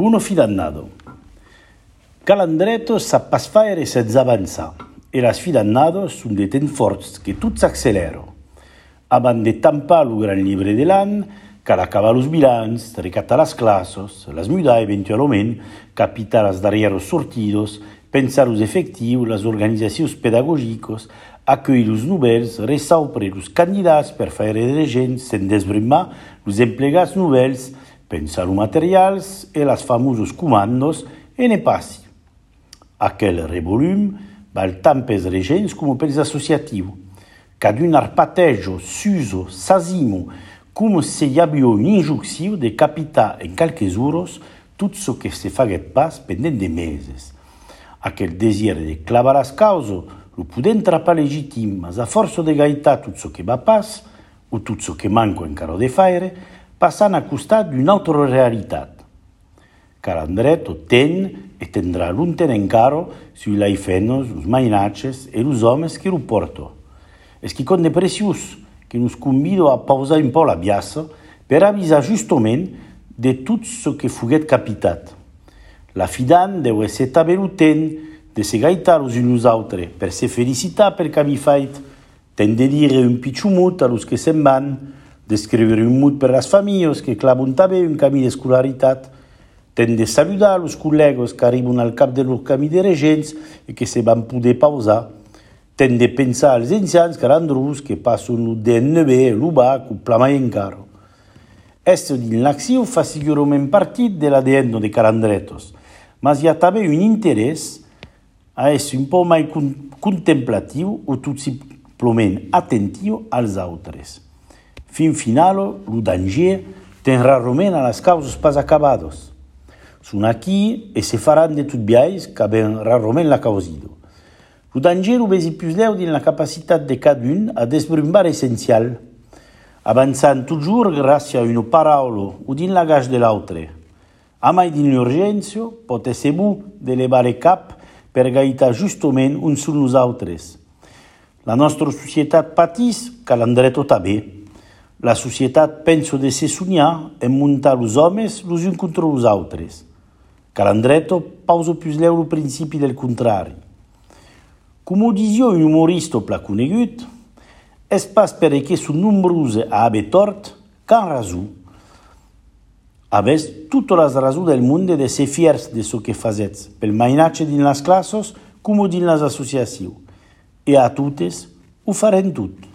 Buono fidannado. Calandreto sa pas faire sense avançar, e las fidannados sun de temps forts que tot s'accelera. Abans de tampar lo gran llibre de l'any, cal acabar los bilans, recatar las classes, las mudar eventualment, capitar las darrieros sortidos, pensar los efectius, las organitzacions pedagògiques, accueillir los novels, resaupre los candidats per faire dirigents, sen desbrimar los emplegats novels, pensar los materials e las famosos comandos e ne passi. Aquel revolum val tant pels regents com pels associatius. Cadun arpatejo, s'uso, s'asimo, come se hi havia un'injunció de capitar en qualques hores tot ce que se faguet pas pendent de meses. Aquel desir de clavar las causes lo pudent trapar legitim, mas a força de gaitar tot ce que va pas, o tot ce que manco encara de faire, passant a costat d'una altra realitat. Calandreto ten e tendrà lunten encara sui laifenos, los mainatges e los homes che lo porto. Es che conde precius che nos convido a pausar un po' la biassa per avisar justament de tot ce que fuguet capitat. La fidan deu esser tabelutent de se gaitar los uns altres per se felicitar per camí fait, ten de dire un pitxumut a los que se'n van, d'escriure un mut per las familles que clavon també un camí d'escolaritat, ten de saludar los col·legues que arriben al cap de los camí de regents e que se van poder pausar, ten de pensar als ancians calandrus que passen el DNB, l'UBAC o plamai encara. Esto din l'acció fa segurament partit de l'ADN de Calandretos, mas hi ha també un interès a ser un poc més contemplatiu o tot simplement atentiu als altres. Fin final, el danger ten rarament a les causes pas acabades. Són aquí e se faran de tot biais que ben rarament la causido. El danger ho vesi plus leu din la capacitat de cadun a desbrumbar essencial, avançant toujours gràcies a una paraula o din l'agage de l'altre. A mai din l'urgència pot ser bo d'elevar el cap per gaitar justament un sul nosaltres. La nostra societat patís, Calandreto també. La societat pensa de se somiar en muntar los homes los uns contra los altres. Calandreto pausa plus leu el principi del contrari. Com ho dizia un humorista pla conegut, és pas perquè són nombroses a haver tort qu'han raó. Avès totes les raons del món de ser fiers de ce que fazets, pel mainatge dins les classes com dins les associacions. E a totes ho farem tot.